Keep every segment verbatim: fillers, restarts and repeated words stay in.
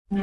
I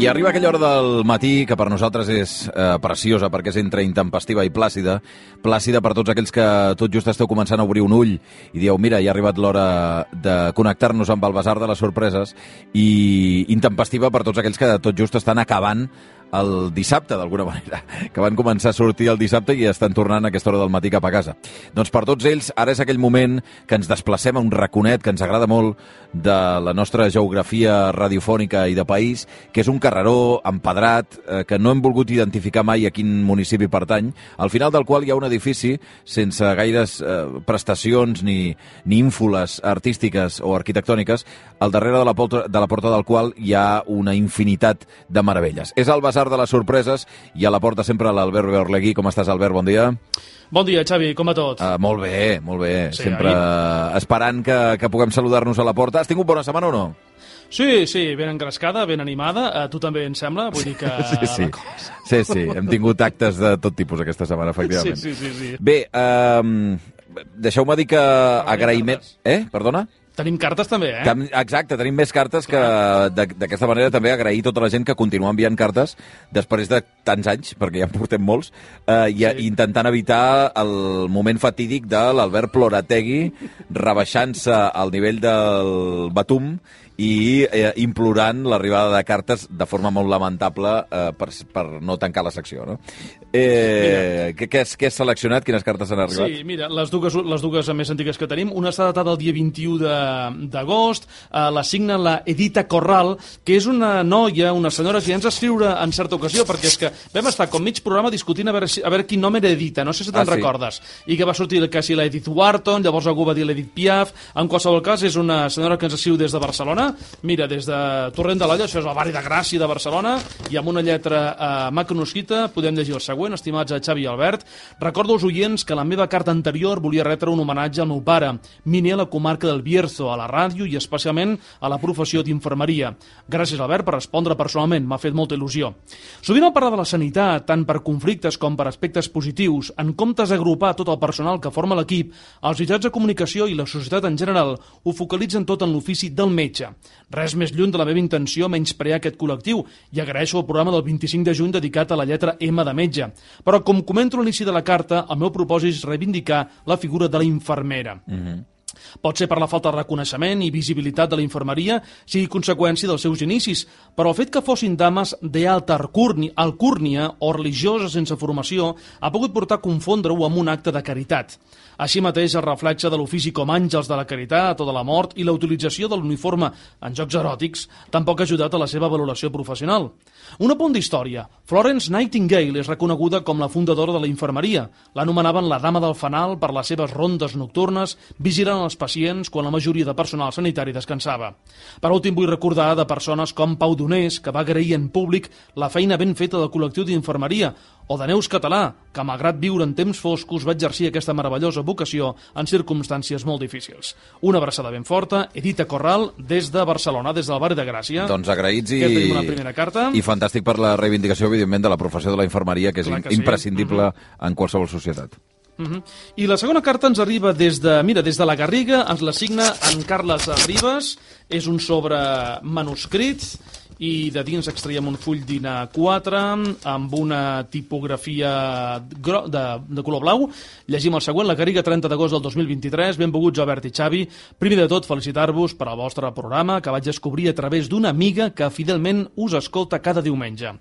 arriba aquella hora del matí que per nosaltres és eh, preciosa perquè és entre intempestiva i plàcida. Plàcida per tots aquells que tot just esteu començant a obrir un ull i dieu, mira, ja ha arribat l'hora de connectar-nos amb el Basar de les Sorpreses, i intempestiva per tots aquells que tot just estan acabant el dissabte, d'alguna manera, que van començar a sortir el dissabte i estan tornant a aquesta hora del matí cap a casa. Doncs per tots ells, ara és aquell moment que ens desplacem a un raconet que ens agrada molt de la nostra geografia radiofònica i de país, que és un carreró empedrat, eh, que no hem volgut identificar mai a quin municipi pertany, al final del qual hi ha un edifici sense gaires eh, prestacions ni, ni ínfoles artístiques o arquitectòniques, al darrere de la, porta, de la porta del qual hi ha una infinitat de meravelles. És el Basar de les Sorpreses i a la porta sempre l'Albert Beorlegui. Com estàs, Albert? Bon dia. Bon dia, Xavi. Com va tot? Uh, molt bé, molt bé. Sí, sempre ahir... esperant que, que puguem saludar-nos a la porta. Has tingut bona setmana o no? Sí, sí, ben engrescada, ben animada. A tu també, em sembla? Vull dir que... sí, sí. sí, sí. Hem tingut actes de tot tipus aquesta setmana, efectivament. Sí, sí, sí. sí. Bé, uh, deixeu-me dir que agraïment... Eh? Perdona? Tenim cartes també, eh? Exacte, tenim més cartes que d'aquesta manera també agrair tota la gent que continua enviant cartes després de tants anys, perquè ja en portem molts, eh, i sí. intentant evitar el moment fatídic de l'Albert Plorategui rebaixant-se al nivell del Batum i eh, implorant l'arribada de cartes de forma molt lamentable eh, per, per no tancar la secció, no? Eh, què, què, has, què has seleccionat? Quines cartes han arribat? Sí, mira, les dues, les dues més antigues que tenim. Una està datada el dia vint-i-u d'agost, eh, la signa la Edita Corral, que és una noia, una senyora que ja ens va escriure en certa ocasió, perquè és que vam estar com mig programa discutint a veure, si, a veure quin nom era Edita, no sé si te'n ah, sí. recordes, i que va sortir que si la Edith Wharton, llavors algú va dir l'Edith Piaf. En qualsevol cas, és una senyora que ens escriu des de Barcelona. Mira, des de Torrent de l'Olla, això és el barri de Gràcia de Barcelona, i amb una lletra eh, macanosquita podem llegir el següent. Estimats a Xavi i Albert, recordo als oients que la meva carta anterior volia retre un homenatge al meu pare, miner a la comarca del Bierzo, a la ràdio i especialment a la professió d'infermeria. Gràcies, Albert, per respondre personalment, m'ha fet molta il·lusió. Sovint al parlar de la sanitat, tant per conflictes com per aspectes positius, en comptes d'agrupar tot el personal que forma l'equip, els mitjans de comunicació i la societat en general ho focalitzen tot en l'ofici del metge. Res més lluny de la meva intenció menysprear aquest col·lectiu i agraeixo el programa del vint-i-cinc de juny dedicat a la lletra M de metge. Però, com comento a l'inici de la carta, el meu propòsit és reivindicar la figura de la infermera. Mm-hmm. Pot ser per la falta de reconeixement i visibilitat de la infermeria, sigui conseqüència dels seus inicis, però el fet que fossin dames d'alta alcúrnia o religioses sense formació ha pogut portar a confondre-ho amb un acte de caritat. Així mateix, el reflexe de l'ofici com àngels de la caritat o de la mort i la utilització de l'uniforme en jocs eròtics tampoc ha ajudat a la seva valoració professional. Un apunt d'història. Florence Nightingale és reconeguda com la fundadora de la infermeria. L'anomenaven la dama del fanal per les seves rondes nocturnes, vigilant els pacients quan la majoria de personal sanitari descansava. Per últim, vull recordar de persones com Pau Donés, que va agrair en públic la feina ben feta del col·lectiu d'infermeria, o de Neus Català, que malgrat viure en temps foscos va exercir aquesta meravellosa vocació en circumstàncies molt difícils. Una abraçada ben forta, Edita Corral, des de Barcelona, des del barri de Gràcia. Doncs agraïts i... Aquesta tenim una primera carta. I fantàstic per la reivindicació, evidentment, de la professió de la infermeria, que és que imprescindible sí. uh-huh. en qualsevol societat. Uh-huh. I la segona carta ens arriba des de, mira, des de la Garriga, ens la signa en Carles Ribes, és un sobre manuscrit, i de dins extraiem un full d'I N A quatre amb una tipografia gro de, de color blau. Llegim el següent, la Garriga, trenta d'agost del dos mil vint-i-tres. Benvinguts, Albert i Xavi. Primer de tot, felicitar-vos per al vostre programa, que vaig descobrir a través d'una amiga que fidelment us escolta cada diumenge.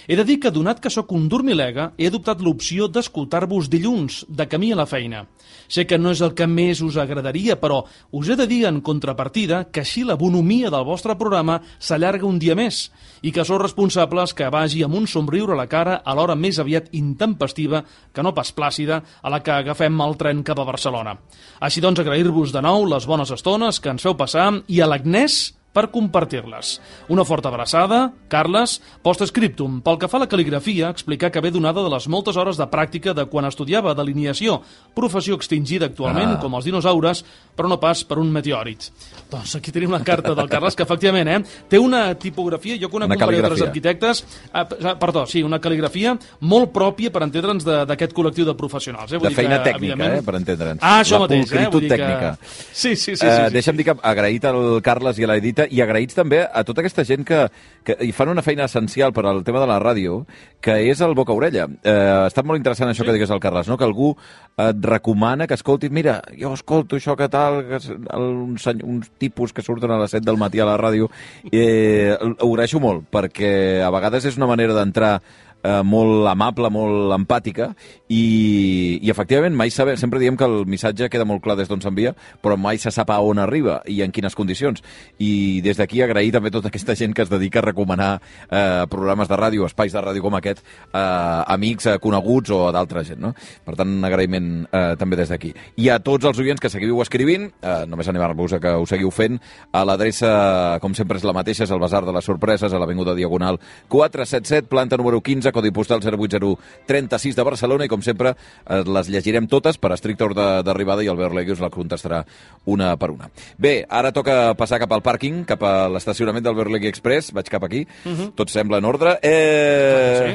He de dir que, donat que sóc un dormilega, he adoptat l'opció d'escoltar-vos dilluns, de camí a la feina. Sé que no és el que més us agradaria, però us he de dir en contrapartida que així la bonomia del vostre programa s'allarga un dia més i que sou responsables que vagi amb un somriure a la cara a l'hora més aviat intempestiva, que no pas plàcida, a la que agafem el tren cap a Barcelona. Així doncs, agrair-vos de nou les bones estones que ens feu passar i a l'Agnès, per compartir-les. Una forta abraçada, Carles, postscriptum. Pel que fa a la cal·ligrafia, explicar que ve donada de les moltes hores de pràctica de quan estudiava delineació, professió extingida actualment, ah. com els dinosaures, però no pas per un meteòrit. Doncs aquí tenim la carta del Carles, que efectivament eh, té una tipografia, jo conec un parell d'altres arquitectes, eh, perdó, sí, una cal·ligrafia molt pròpia per entendre'ns d'aquest col·lectiu de professionals. Eh? Vull de feina que, tècnica, eh, per entendre'ns. Ah, això la mateix, eh? Vull dir tècnica. Que... Sí, sí, sí. sí, uh, sí deixa'm sí. dir que agraït al Carles i a l'Edita i agraïts també a tota aquesta gent que, que hi fan una feina essencial per al tema de la ràdio, que és el boca-orella. Uh, ha estat molt interessant això sí. que digués el Carles, no? Que algú et recomana que escoltis, mira, jo escolto això que tal, que uns, uns tipus que surten a les set del matí a la ràdio, eh, ho agraeixo molt, perquè a vegades és una manera d'entrar eh, molt amable, molt empàtica, i, i efectivament mai sabe, sempre diem que el missatge queda molt clar des d'on s'envia, però mai se sap a on arriba i en quines condicions. I des d'aquí agrair també tota aquesta gent que es dedica a recomanar eh, programes de ràdio, espais de ràdio com aquest, a eh, amics, eh, coneguts o a d'altra gent, no? Per tant, un agraïment eh, també des d'aquí. I a tots els oients que seguiu escrivint, eh, només animar-vos a que ho seguiu fent, a l'adreça, com sempre és la mateixa, és el Basar de les Sorpreses, a l'Avinguda Diagonal quatre set set, planta número quinze, codi postal zero vuit zero tres sis de Barcelona, i com sempre les llegirem totes per estricte ordre d'arribada i Albert Legui us la contestarà una per una. Bé, ara toca passar cap al pàrquing, cap a l'estacionament d'Albert Legui Express, vaig cap aquí, uh-huh. tot sembla en ordre. Eh... Sí.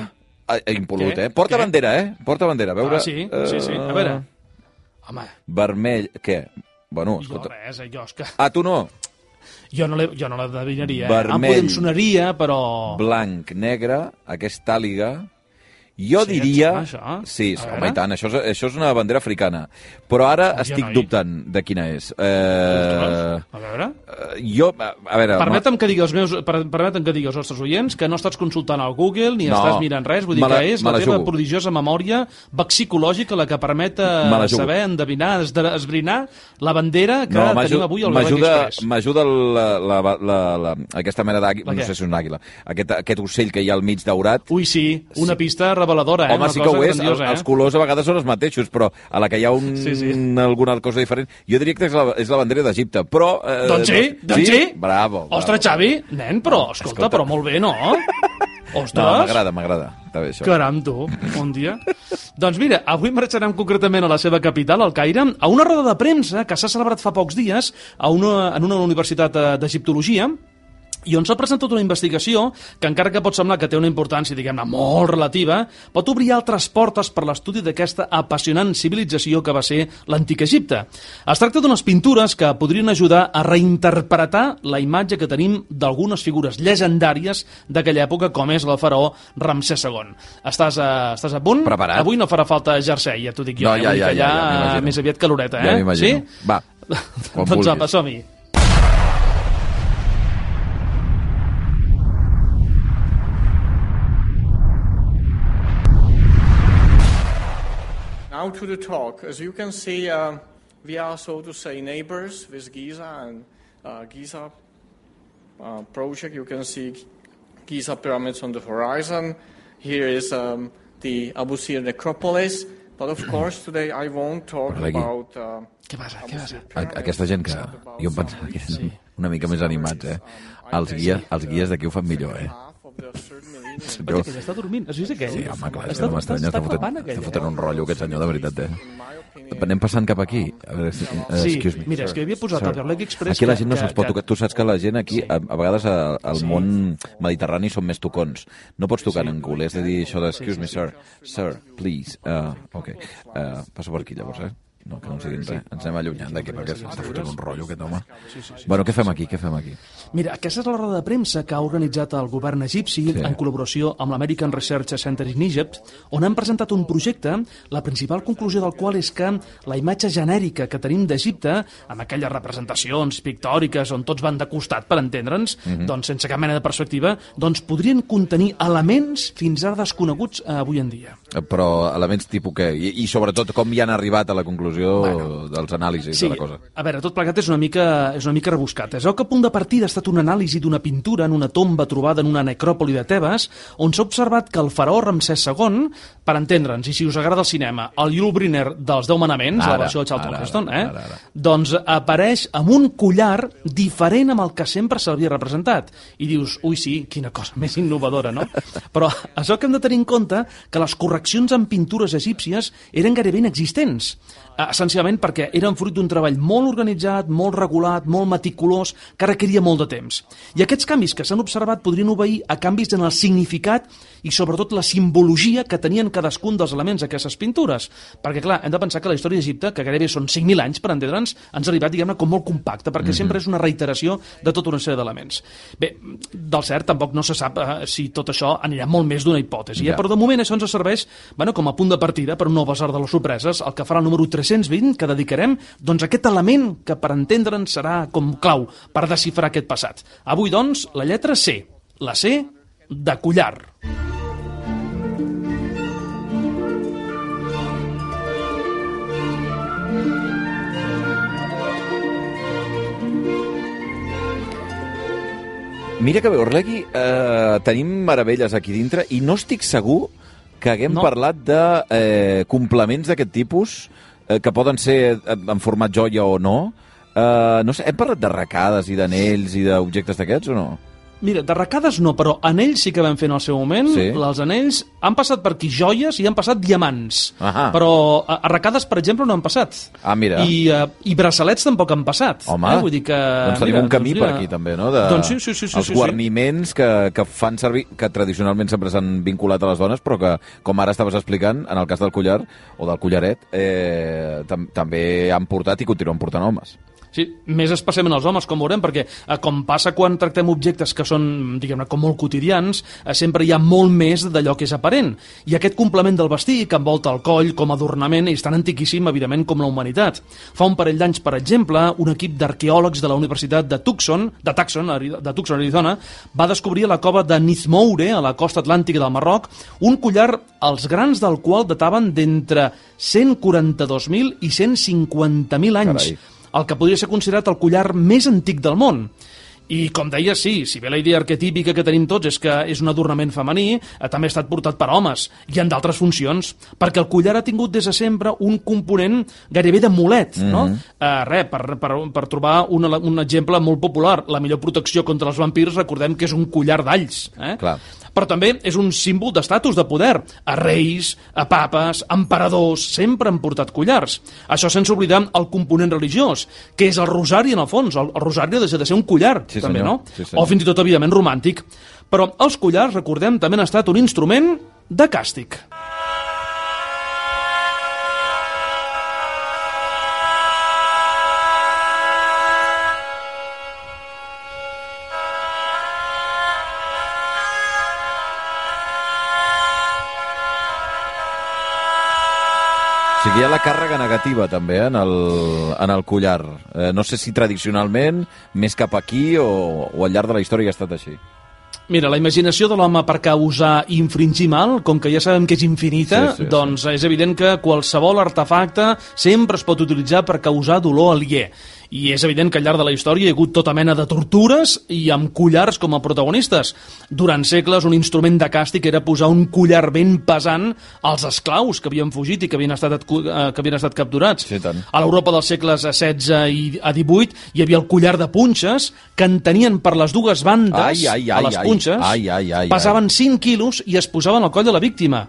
Impolut, eh? Porta què? Bandera, eh? Porta bandera, a veure... Ah, sí, sí, sí, a veure. Home. Vermell, què? Bueno, jo escolta... res, eh, jo és que... Ah, tu no? Jo no, jo no l'adivinaria, eh? Vermell, em podem sonaria, però... blanc, negre, aquesta àliga... Jo sí, diria... Això? Sí, home, i tant, això és, això és una bandera africana. Però ara ja estic no dubtant de quina és. Eh... A veure... Uh, jo, a, a veure... Permetem que digui els meus, per, permetem que digui als nostres oients que no estàs consultant al Google ni no, estàs mirant res, vull dir la, que és la teva jugo. prodigiosa memòria vexicològica la que permet saber, endevinar, esbrinar la bandera que no, tenim avui al Black Express. M'ajuda la, la, la, la, aquesta mena d'àguila, no sé si és una àguila, aquest, aquest ocell que hi ha al mig daurat. Ui, sí, una sí. pista reveladora, eh? Home, una sí que ho és, grandiosa, eh? Els colors a vegades són els mateixos, però a la que hi ha un, sí, sí. alguna cosa diferent, jo diria que és la, és la bandera d'Egipte, però... Eh, doncs sí, doncs sí. Bravo, bravo. Ostres, Xavi, nen, però, escolta, escolta. però molt bé, no? Ostres! No, m'agrada, m'agrada. Està bé, això. Caram, tu, bon dia. Doncs mira, avui marxarem concretament a la seva capital, al Caire, a una roda de premsa que s'ha celebrat fa pocs dies a una, en una universitat d'egiptologia, i on s'ha presentat una investigació que, encara que pot semblar que té una importància, diguem-ne, molt relativa, pot obrir altres portes per l'estudi d'aquesta apassionant civilització que va ser l'antic Egipte. Es tracta d'unes pintures que podrien ajudar a reinterpretar la imatge que tenim d'algunes figures llegendàries d'aquella època, com és el faraó Ramsès segon. Estàs a, estàs a punt? Preparat. Avui no farà falta jersei, ja t'ho dic jo. No, ja, eh? ja, ja, ja, ja, ja més aviat caloreta, eh? Ja m'imagino. Sí? Va, quan doncs apa, som-hi. Now to the talk. As you can see, uh, we are, so to say, neighbors with Giza and uh, Giza uh, project. You can see Giza pyramids on the horizon. Here is um, the Abu Sir necropolis. But of course, today I won't talk about... Uh, què passa? Què passa? Aquesta gent que jo em pensava que eren una mica més animats, eh? Els guies, els guies d'aquí ho fan millor, eh? Perquè aquell està dormint, has vist aquell? Sí, home, clar, està, no m'estranya, està, està, fotent, està fotent un rotllo aquest senyor, de veritat, eh? Anem passant cap aquí. A veure, sí, excuse me. Mira, és que havia posat al Black Express... Aquí la gent no se'ls pot tocar. Tu saps que la gent aquí, a, a vegades al món mediterrani són més tocons. No pots tocar en anglès, has de dir això de excuse me, sir, sir, please. Uh, ok, uh, passo per aquí llavors, eh? No, que no ens diguin res. Ens anem allunyant d'aquí perquè s'està fotent un rotllo aquest home. Sí, sí, sí, bueno, què fem aquí? Què fem aquí? Mira, aquesta és la roda de premsa que ha organitzat el govern egipci sí. en col·laboració amb l'American Research Center in Egypt, on han presentat un projecte, la principal conclusió del qual és que la imatge genèrica que tenim d'Egipte, amb aquelles representacions pictòriques on tots van de costat, per entendre'ns, mm-hmm. doncs sense cap mena de perspectiva, doncs podrien contenir elements fins ara desconeguts eh, avui en dia. Però elements tipus què? I, i sobretot com hi han arribat a la conclusió? conclusió bueno, dels anàlisis sí, de la cosa. A veure, tot plegat és una mica, és una mica rebuscat. Es veu que a punt de partida ha estat una anàlisi d'una pintura en una tomba trobada en una necròpoli de Tebes, on s'ha observat que el faraó Ramsès segon, per entendre'ns, i si us agrada el cinema, el Yul Brynner dels Deu Manaments, ara, la versió de Charlton Heston, eh? Ara, ara. doncs apareix amb un collar diferent amb el que sempre s'havia representat. I dius, ui sí, quina cosa més innovadora, no? Però això que hem de tenir en compte que les correccions en pintures egípcies eren gairebé inexistents, essencialment perquè eren fruit d'un treball molt organitzat, molt regulat, molt meticulós, que requeria molt de temps. I aquests canvis que s'han observat podrien obeir a canvis en el significat i sobretot la simbologia que tenien cadascun dels elements d'aquestes pintures. Perquè, clar, hem de pensar que la història d'Egipte, que gairebé són cinc mil anys, per entendre'ns, ens ha arribat, diguem-ne, com molt compacta, perquè mm-hmm. sempre és una reiteració de tota una sèrie d'elements. Bé, del cert, tampoc no se sap eh, si tot això anirà molt més d'una hipòtesi, eh? Ja. Però de moment això ens serveix bueno, com a punt de partida per un nou basar de les sorpreses, el que farà el número tres-cents vint, que dedicarem doncs, a aquest element que, per entendre'ns, serà com clau per desxifrar aquest passat. Avui, doncs, la lletra C, la C de collar. Mira que bé, Orlegui, eh, tenim meravelles aquí dintre i no estic segur que haguem no. parlat de eh, complements d'aquest tipus eh, que poden ser en format joia o no. Eh, no sé, hem parlat d'arracades i d'anells i d'objectes d'aquests o no? Mira, d'arracades no, però anells sí que vam fer en el seu moment. Sí. Els anells han passat per aquí joies i han passat diamants. Ahà. Però arracades, per exemple, no han passat. Ah, mira. I, uh, i braçalets tampoc han passat. Home, eh? Vull dir que, doncs tenim mira, un camí doncs, per aquí també, no? De, doncs sí, sí, sí, sí, els sí, guarniments que, que fan servir, que tradicionalment sempre s'han vinculat a les dones, però que, com ara estaves explicant, en el cas del collar o del collaret, eh, tam també han portat i continuen portant homes. Sí, més especialment els homes, com veurem, perquè eh, com passa quan tractem objectes que són, diguem-ne, com molt quotidians, eh, sempre hi ha molt més d'allò que és aparent. I aquest complement del vestir que envolta el coll com a adornament és tan antiquíssim, evidentment, com la humanitat. Fa un parell d'anys, per exemple, un equip d'arqueòlegs de la Universitat de Tucson, de Tucson, de Tucson, Arizona, va descobrir a la cova de Nizmoure, a la costa atlàntica del Marroc, un collar els grans del qual dataven d'entre cent quaranta-dos mil i cent cinquanta mil anys. Carai. El que podria ser considerat el collar més antic del món. I, com deia, sí, si bé la idea arquetípica que tenim tots és que és un adornament femení, eh, també ha estat portat per homes, i en d'altres funcions, perquè el collar ha tingut des de sempre un component gairebé d'amulet, mm-hmm. no? Eh, res, per, per, per trobar un, un exemple molt popular, la millor protecció contra els vampirs, recordem que és un collar d'alls. Eh? Clar. Però també és un símbol d'estatus de poder. A reis, a papes, a emperadors, sempre han portat collars. Això sense oblidar el component religiós, que és el rosari en el fons. El, el rosari ha de ser un collar, sí, també, senyor. no? Sí, senyor. O fins i tot, evidentment, romàntic. Però els collars, recordem, també han estat un instrument de càstig. O sigui, hi ha la càrrega negativa, també, en el, en el collar. Eh, no sé si tradicionalment, més cap aquí o, o al llarg de la història ha estat així. Mira, la imaginació de l'home per causar i infringir mal, com que ja sabem que és infinita, sí, sí, doncs sí. És evident que qualsevol artefacte sempre es pot utilitzar per causar dolor aliè. I és evident que al llarg de la història hi ha hagut tota mena de tortures i amb collars com a protagonistes. Durant segles un instrument de càstig era posar un collar ben pesant als esclaus que havien fugit i que havien estat, que havien estat capturats. Sí, tant. A l'Europa dels segles setze i a divuit hi havia el collar de punxes que en tenien per les dues bandes, ai, ai, ai, a les punxes, ai, ai, ai, ai, pesaven cinc quilos i es posaven al coll de la víctima.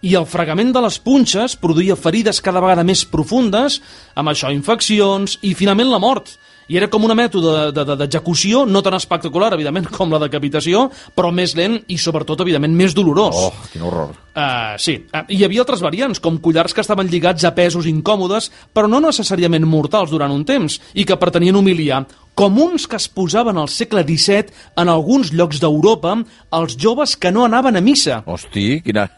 I el fregament de les punxes produïa ferides cada vegada més profundes, amb això infeccions i finalment la mort. I era com una mètode d'execució no tan espectacular, evidentment, com la decapitació, però més lent i, sobretot, evidentment, més dolorós. Oh, quin horror. Uh, sí, uh, hi havia altres variants, com collars que estaven lligats a pesos incòmodes, però no necessàriament mortals durant un temps, i que pretenien humiliar, com uns que es posaven al segle disset en alguns llocs d'Europa als joves que no anaven a missa. Hosti, quina...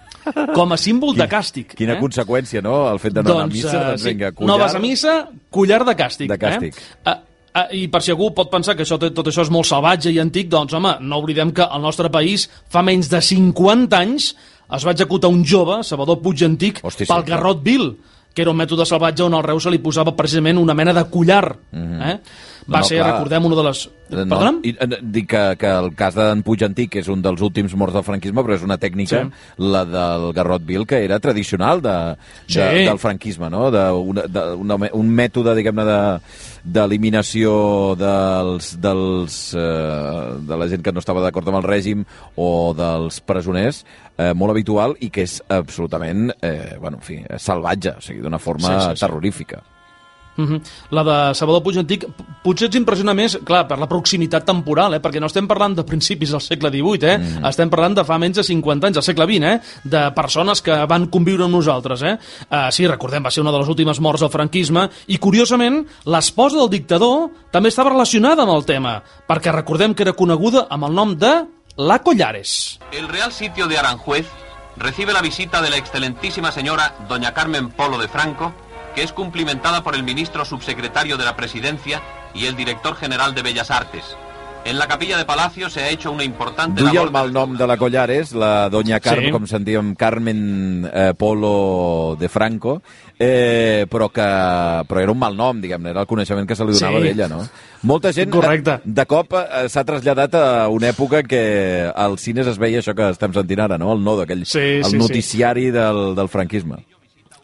Com a símbol de càstig. Quina eh? conseqüència, no?, el fet de no anar a missa. Doncs, sí. Vinga, collar... No vas a missa, collar de càstig. De càstig. Eh? Uh, uh, I per si algú pot pensar que això, tot això és molt salvatge i antic, doncs, home, no oblidem que al nostre país fa menys de cinquanta anys es va executar un jove, Salvador Puig Antic, Hosti, pel sí, garrot vil. que era un mètode salvatge on al reu se li posava precisament una mena de collar. Mm-hmm. eh? Va no, no, ser, clar. recordem, una de les... No, Perdona'm? I, dic que, que el cas d'en Puig Antic és un dels últims morts del franquisme, però és una tècnica, sí. la del garrot vil, que era tradicional de, de, sí. del franquisme, no? De una, de una, un mètode, diguem-ne, d'eliminació de, dels, dels, eh, de la gent que no estava d'acord amb el règim o dels presoners, eh, molt habitual i que és absolutament, eh, bueno, en fi, salvatge, o sigui, d'una forma sí, sí, sí. terrorífica. Uh-huh. La de Salvador Puig Antic potser ens impressiona més, clar, per la proximitat temporal, eh? Perquè no estem parlant de principis del segle divuit, eh? Mm. estem parlant de fa menys de cinquanta anys, del segle vint, eh? De persones que van conviure amb nosaltres. Eh? Uh, sí, recordem, va ser una de les últimes morts del franquisme i, curiosament, l'esposa del dictador també estava relacionada amb el tema, perquè recordem que era coneguda amb el nom de La Collares. El Real Sitio de Aranjuez recibe la visita de la excelentísima señora doña Carmen Polo de Franco, que es cumplimentada por el ministro subsecretario de la Presidencia y el director general de Bellas Artes. En la capilla de Palacio se ha hecho una importante Duia labor... el mal nom de la Collares, la doña Carmen, sí. com sentíem, Carmen eh, Polo de Franco, eh, però que però era un mal nom, diguem-ne, era el coneixement que se li donava sí. d'ella, no? Molta gent de, de cop eh, s'ha traslladat a una època que als cines es veia això que estem sentint ara, no? El no d'aquell sí, el sí, noticiari sí. del, del franquisme.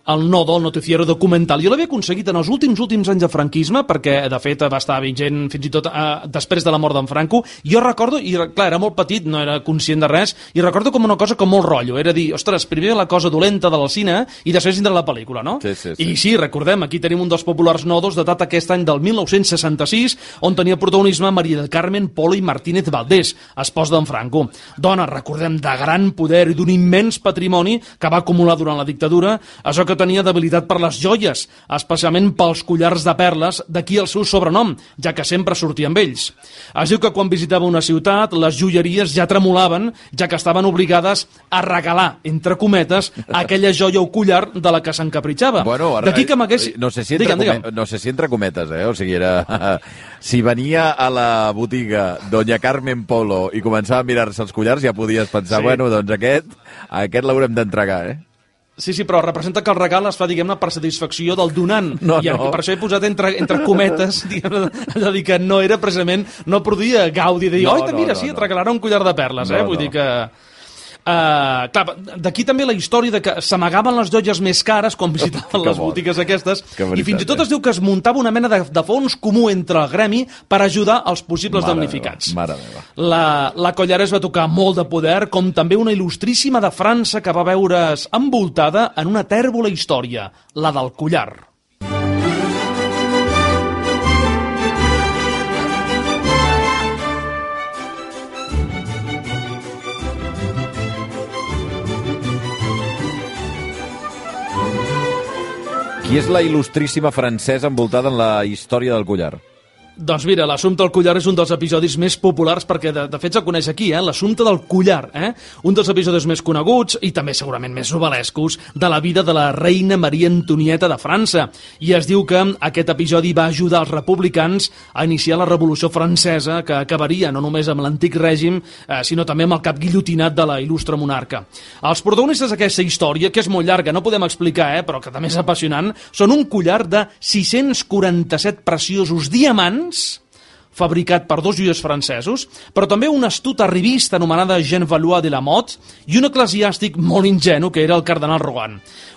El no del noticiero documental. Jo l'havia aconseguit en els últims últims anys de franquisme, perquè, de fet, va estar vigent fins i tot eh, després de la mort d'en Franco. Jo recordo, i clar, era molt petit, no era conscient de res, i recordo com una cosa com molt rotllo. Era dir, ostres, primer la cosa dolenta del cine i després vindrà la pel·lícula, no? Sí, sí, sí. I sí, recordem, aquí tenim un dels populars nodos datat aquest any del mil nou-cents seixanta-sis, on tenia protagonisme Maria del Carmen Polo i Martínez Valdés, esposa d'en Franco. Dona, recordem, de gran poder i d'un immens patrimoni que va acumular durant la dictadura, això que tenia debilitat per les joies, especialment pels collars de perles, d'aquí el seu sobrenom, ja que sempre sortia amb ells. Es diu que quan visitava una ciutat, les joieries ja tremolaven, ja que estaven obligades a regalar, entre cometes, aquella joia o collar de la que s'encapritxava. Bueno, d'aquí que m'hagués... No sé si entre, digue'm, digue'm. No sé si entre cometes, eh? O sigui, era... si venia a la botiga doña Carmen Polo i començava a mirar-se els collars, ja podies pensar, sí. bueno, doncs aquest, aquest l'haurem d'entregar, eh? Sí, sí, però representa que el regal es fa, diguem-ne, per satisfacció del donant. No, I no. per això he posat entre, entre cometes, diguem-ne, allò dir que no era precisament, no produïa gaudi de dir, no, oi, mira, no, sí, et regalaran un collar de perles, no, eh? Vull no. dir que... Uh, clar, d'aquí també la història de que s'amagaven les joies més cares quan visitaven les botigues aquestes, veritat, i fins i tot es diu que es muntava una mena de, de fons comú entre el gremi per ajudar els possibles mare damnificats. Meva, mare meva. La, la Collares va tocar molt de poder, com també una il·lustríssima de França que va veure's envoltada en una tèrbola història, la del collar. Qui és la il·lustríssima francesa envoltada en la història del collar? Doncs mira, l'assumpte del collar és un dels episodis més populars perquè de, de fet se'l coneix aquí, eh? L'assumpte del collar, eh? Un dels episodis més coneguts i també segurament més novel·lescos de la vida de la reina Maria Antonieta de França. I es diu que aquest episodi va ajudar els republicans a iniciar la Revolució Francesa, que acabaria no només amb l'antic règim, eh, sinó també amb el cap guillotinat de la il·lustre monarca. Els protagonistes d'aquesta història, que és molt llarga, no podem explicar, eh, però que també és apassionant, són un collar de sis-cents quaranta-set preciosos diamants fabricat per dos joiers francesos, però també una astuta revista anomenada Jean Valois de la Motte i un eclesiàstic molt ingenu que era el cardenal Rohan.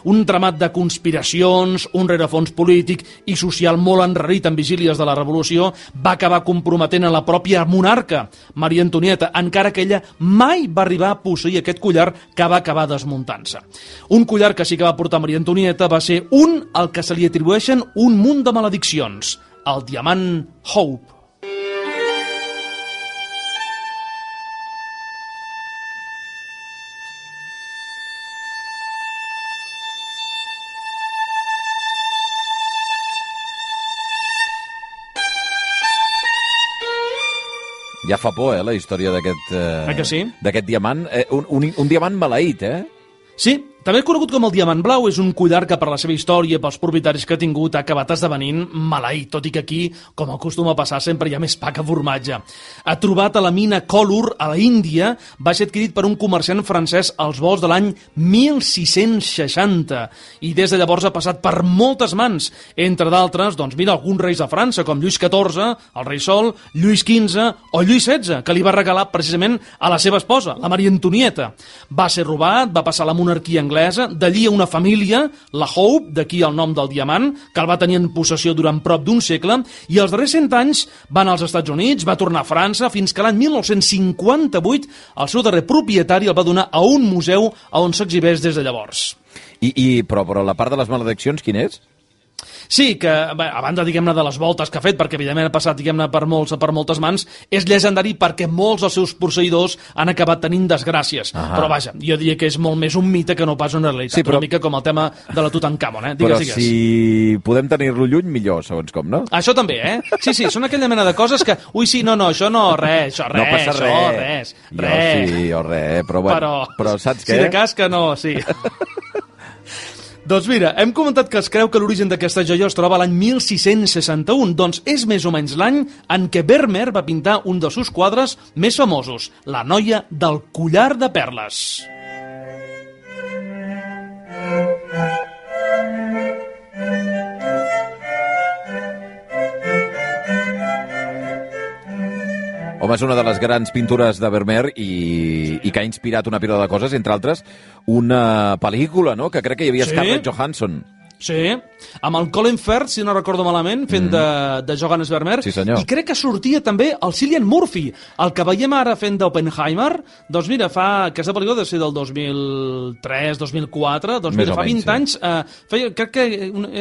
Un tramat de conspiracions, un rerefons polític i social molt enrarit en vigílies de la Revolució va acabar comprometent a la pròpia monarca, Maria Antonieta, encara que ella mai va arribar a posseir aquest collar que va acabar desmuntant-se. Un collar que sí que va portar Maria Antonieta va ser un al que se li atribueixen un munt de malediccions, el diamant Hope. Ja fa por, eh, la història d'aquest eh, sí? d'aquest diamant. Eh, un, un, un diamant maleït, eh? Sí, També conegut com el Diamant Blau, és un collar que per la seva història i pels propietaris que ha tingut ha acabat esdevenint maleït, tot i que aquí, com acostuma a passar, sempre hi ha més pa que formatge. Ha trobat a la mina Kollur, a la Índia, va ser adquirit per un comerciant francès als volts de l'any mil sis-cents seixanta, i des de llavors ha passat per moltes mans, entre d'altres, doncs mira, alguns reis de França, com Lluís catorze, el rei Sol, Lluís quinze o Lluís setze, que li va regalar precisament a la seva esposa, la Maria Antonieta. Va ser robat, va passar a la monarquia anglesa, d'allí a una família, la Hope, d'aquí el nom del diamant, que el va tenir en possessió durant prop d'un segle, i els darrers cent anys va anar als Estats Units, va tornar a França, fins que l'any mil nou-cents cinquanta-vuit el seu darrer propietari el va donar a un museu on s'exhibeix des de llavors. I, i però, però la part de les malediccions, quin és? Sí, que bé, a banda, diguem-ne, de les voltes que ha fet, perquè evidentment ha passat, diguem-ne, per, molts, per moltes mans, és llegendari perquè molts dels seus posseïdors han acabat tenint desgràcies. Ahà. Però vaja, jo diria que és molt més un mite que no pas una realitat. Sí, però... Una mica com el tema de la Tutankamon, eh? Digues, però digues. Si podem tenir-lo lluny, millor, segons com, no? Això també, eh? Sí, sí, són aquella mena de coses que... Ui, sí, no, no, això no, res, això, res, no passa això, res. res, res. Jo sí, o res, però bueno, però, però saps què? Si de cas que no, sí. Doncs mira, hem comentat que es creu que l'origen d'aquesta joia es troba a l'any mil sis-cents seixanta-un, doncs és més o menys l'any en què Vermeer va pintar un dels seus quadres més famosos, La noia del collar de perles. Home, és una de les grans pintures de Vermeer i, i que ha inspirat una pila de coses, entre altres, una pel·lícula, no?, que crec que hi havia sí? Scarlett Johansson. Sí, amb el Colin Firth, si no recordo malament, fent mm. de, de Johannes Vermeer. Sí, senyor. I crec que sortia també el Cillian Murphy, el que veiem ara fent d'Oppenheimer. Doncs mira, fa aquesta pel·lícula de ser del dos mil tres, dos mil quatre, doncs mira, fa vint anys, eh, feia, crec que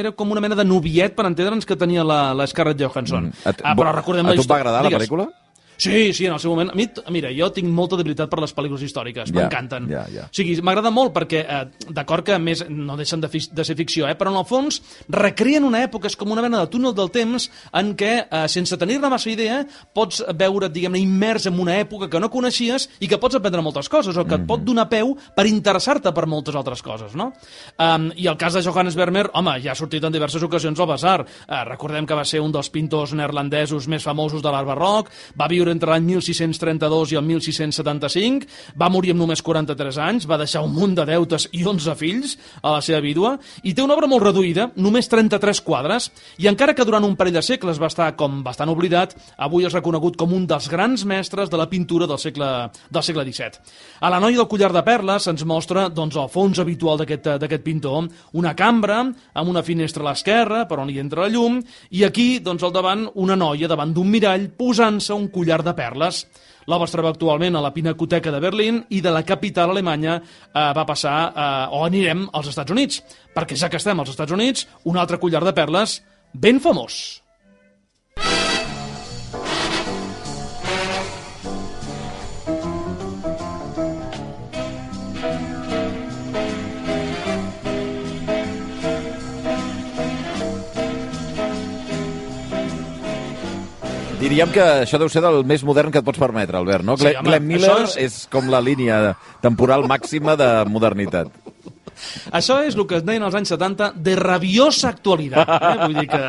era com una mena de noviet, per entendre'ns, que tenia la, la Scarlett Johansson. Mm. Et, ah, però recordem a tu et va agradar Digues. la pel·lícula? Sí, sí, en el seu moment. A mi, mira, jo tinc molta debilitat per les pel·lícules històriques, yeah, m'encanten. Yeah, yeah. O sigui, m'agrada molt perquè, eh, d'acord que més no deixen de, fi, de ser ficció, eh, però en el fons recreen una època, és com una mena de túnel del temps en què, eh, sense tenir-ne massa idea, pots veure, diguem-ne, immers en una època que no coneixies i que pots aprendre moltes coses, o que mm-hmm. et pot donar peu per interessar-te per moltes altres coses, no? Um, I el cas de Johannes Vermeer, home, ja ha sortit en diverses ocasions al Basar. Uh, recordem que va ser un dels pintors neerlandesos més famosos de l'art barroc, va viure entre l'any mil sis-cents trenta-dos i el mil sis-cents setanta-cinc, va morir amb només quaranta-tres anys, va deixar un munt de deutes i onze fills a la seva vídua, i té una obra molt reduïda, només trenta-tres quadres, i encara que durant un parell de segles va estar com bastant oblidat, avui és reconegut com un dels grans mestres de la pintura del segle, del segle disset. A La noia del collar de perles se'ns mostra doncs, el fons habitual d'aquest d'aquest pintor, una cambra amb una finestra a l'esquerra per on hi entra la llum, i aquí, doncs, al davant, una noia davant d'un mirall posant-se un collar de perles. L'obra es troba actualment a la Pinacoteca de Berlín i de la capital alemanya eh, va passar, eh, o anirem als Estats Units, perquè ja que estem als Estats Units, un altre collar de perles ben famós. Diríem que això deu ser del més modern que et pots permetre, Albert, no? Sí, Glenn, home, Glenn Miller és... és com la línia temporal màxima de modernitat. Això és el que es deien als anys setanta de rabiosa actualitat. Eh? Vull dir que...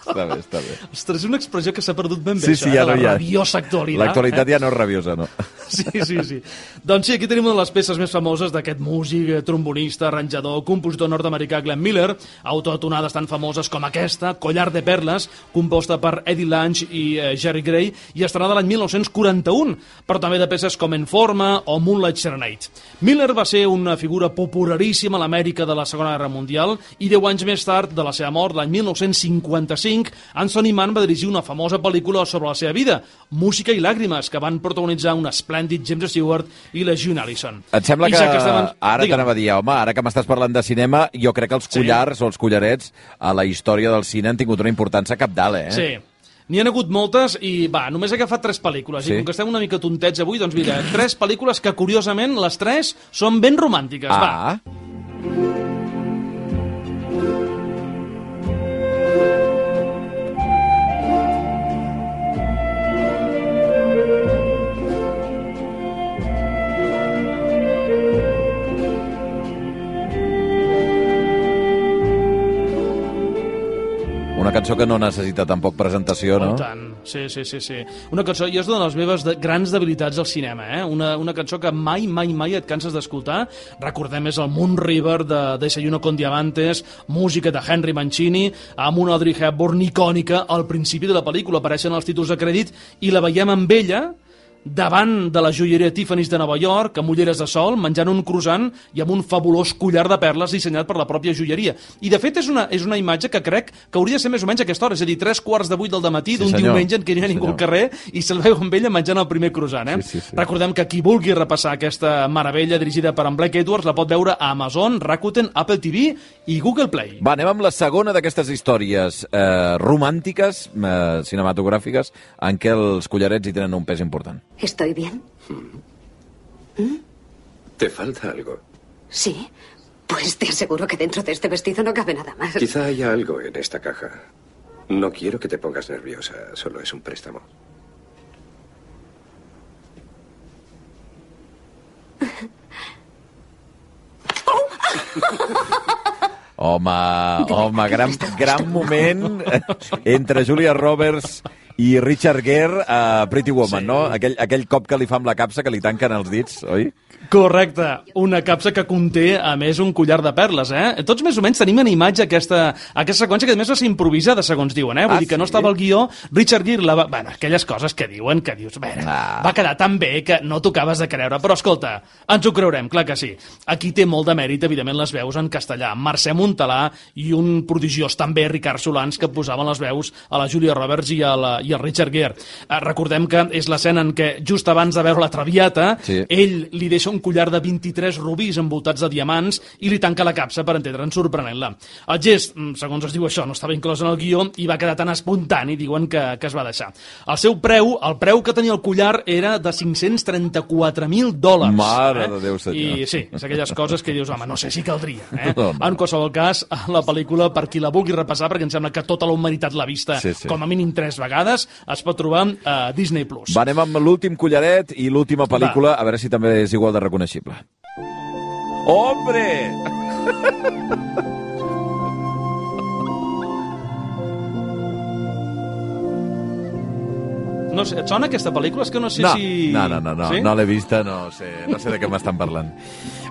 Està bé, està bé. Ostres, és una expressió que s'ha perdut ben bé, sí, això, sí, eh? ja no La hi ha. rabiosa actualitat. L'actualitat eh? ja no és rabiosa, no? Sí, sí, sí. Doncs sí, aquí tenim una de les peces més famoses d'aquest músic, trombonista, arranjador, compositor nord-americà Glenn Miller, autor de tonades tan famoses com aquesta, Collar de perles, composta per Eddie Lange i eh, Jerry Gray, i estrenada l'any mil nou-cents quaranta-un, però també de peces com En Forma o Moonlight Serenade. Miller va ser una figura popularíssima a l'Amèrica de la Segona Guerra Mundial i deu anys més tard, de la seva mort, l'any mil nou-cents cinquanta-cinc, Anthony Mann va dirigir una famosa pel·lícula sobre la seva vida, Música i làgrimes, que van protagonitzar un esplèndid James Stewart i la June Allison. Et sembla I que, ja que estem... ara t'anava a dir, home, ara que m'estàs parlant de cinema, jo crec que els collars sí. o els collarets a la història del cine han tingut una importància capdalt, eh? Sí. N'hi ha hagut moltes i, va, només he agafat tres pel·lícules. Sí. I com que estem una mica tontets avui, doncs mira, tres pel·lícules que, curiosament, les tres són ben romàntiques. Ah. Va. cançó que no necessita tampoc presentació, no? Oh, tant. Sí, sí, sí, sí. Una cançó, i és una de les meves de, grans debilitats al cinema, eh? Una, una cançó que mai, mai, mai et canses d'escoltar. Recordem, és el Moon River de Desayuno con Diamantes, música de Henry Mancini, amb una Audrey Hepburn icònica al principi de la pel·lícula. Apareixen els títols de crèdit i la veiem amb ella davant de la joieria Tiffany's de Nova York, amb ulleres de sol, menjant un croissant i amb un fabulós collar de perles dissenyat per la pròpia joieria. I, de fet, és una, és una imatge que crec que hauria de ser més o menys a aquesta hora, és a dir, tres quarts de vuit del dematí sí, d'un senyor. diumenge en què no hi ha sí, ningú senyor. al carrer i se'l veu amb ella menjant el primer croissant. Eh? Sí, sí, sí. Recordem que qui vulgui repassar aquesta meravella dirigida per en Blake Edwards la pot veure a Amazon, Rakuten, Apple T V i Google Play. Va, anem amb la segona d'aquestes històries eh, romàntiques, eh, cinematogràfiques, en què els collarets hi tenen un pes important. ¿Estoy bien? ¿Mm? ¿Te falta algo? Sí. Pues te aseguro que dentro de este vestido no cabe nada más. Quizá haya algo en esta caja. No quiero que te pongas nerviosa, solo es un préstamo. Home, home, gran, gran moment entre Julia Roberts i Richard Gere a Pretty Woman, sí. no? Aquell, aquell cop que li fa amb la capsa, que li tanquen els dits, oi? Correcte, una capsa que conté, a més, un collar de perles, eh? Tots més o menys tenim en imatge aquesta, aquesta seqüència que, a més, va ser improvisada, segons diuen, eh? Vull ah, dir que sí? no estava al guió. Richard Gere, la va... bueno, aquelles coses que diuen, que dius, bé, ah. va quedar tan bé que no t'ho acabes de creure. Però, escolta, ens ho creurem, clar que sí. Aquí té molt de mèrit, evidentment, les veus en castellà. Mercè Montalà i un prodigiós també, Ricard Solans, que posaven les veus a la Julia Roberts i, a la, i al Richard Gere. Eh, recordem que és l'escena en què, just abans de veure la Traviata, sí. ell li deixa un collar de vint-i-tres rubis envoltats de diamants i li tanca la capsa per entendre'n sorprenent-la. El gest, segons es diu això, no estava inclòs en el guió i va quedar tan espontani, diuen, que, que es va deixar. El seu preu, el preu que tenia el collar era de cinc-cents trenta-quatre mil dòlars. Mare eh? de Déu, senyor. I sí, és aquelles coses que dius, home, no sé si caldria. Eh? No, no. En qualsevol cas, la pel·lícula, per qui la vulgui repassar, perquè em sembla que tota la humanitat l'ha vista sí, sí. com a mínim tres vegades, es pot trobar a Disney Plus. Va, anem amb l'últim collaret i l'última pel·lícula, va. A veure si també és igual de reconeixible. ¡Hombre! No sé, et sona aquesta pel·lícula? És que no sé no, si... No, no, no, no, sí? no l'he vista, no sé, no sé de què m'estan parlant.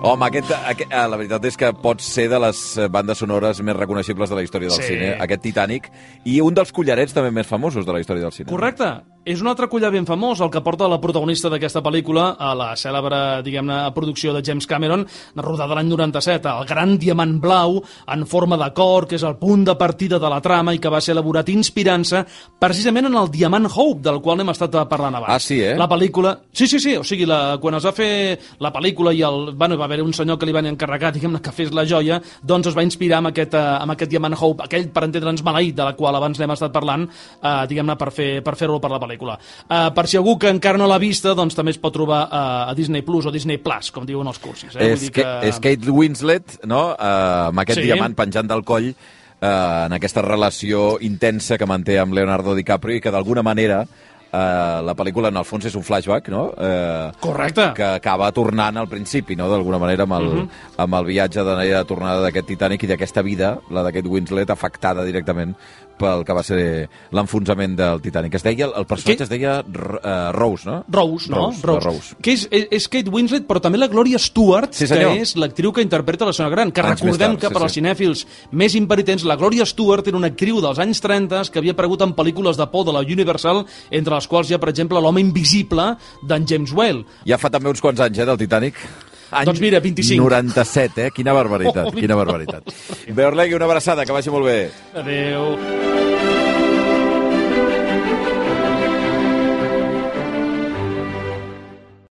Home, aquest, aquest, la veritat és que pot ser de les bandes sonores més reconeixibles de la història del sí. cine, aquest Titanic, i un dels collarets també més famosos de la història del cine. Correcte. És un altre collar ben famós, el que porta la protagonista d'aquesta pel·lícula a la cèlebre, diguem-ne, producció de James Cameron, rodada l'any noranta-set, el gran diamant blau en forma de cor, que és el punt de partida de la trama i que va ser elaborat inspirant-se precisament en el diamant Hope, del qual hem estat parlant abans. Ah, sí, eh? La pel·lícula... Sí, sí, sí, o sigui, la... quan es va fer la pel·lícula i el... bueno, va haver un senyor que li van encarregar, diguem-ne, que fes la joia, doncs es va inspirar en aquest, uh, en aquest diamant Hope, aquell, per entendre'ns, maleït, de la qual abans n'hem estat parlant, uh, diguem-ne, per fer per fer-ho per la pel·lícula. Uh, per si algú que encara no l'ha vista, doncs també es pot trobar uh, a Disney Plus o Disney Plus, com diuen els cursis. Eh? És, que... és Kate Winslet, no?, uh, amb aquest sí. diamant penjant del coll, uh, en aquesta relació intensa que manté amb Leonardo DiCaprio i que d'alguna manera Uh, la pel·lícula, en el fons, és un flashback, no? Uh, Correcte. Que acaba tornant al principi, no?, d'alguna manera, amb el, uh -huh. amb el viatge de tornada d'aquest Titanic i d'aquesta vida, la d'aquest Winslet, afectada directament pel que va ser l'enfonsament del Titanic. Es deia, el personatge que... es deia uh, Rose, no? Rose, no? Rose, Rose. Rose. Que és, és, és Kate Winslet, però també la Gloria Stewart, sí, que és l'actriu que interpreta la senyora Gran, que anys recordem tard, que sí, per als sí. cinèfils més imperitents, la Gloria Stewart era una actriu dels anys trenta que havia aparegut en pel·lícules de por de la Universal, entre les quals hi ha, per exemple, l'home invisible d'en James Whale. Ja fa també uns quants anys, eh, del Titanic. Any doncs mira, vint-i-cinc. noranta-set, eh? Quina barbaritat, oh, quina barbaritat. Bé, Orlegui, una abraçada, que vagi molt bé. Adéu.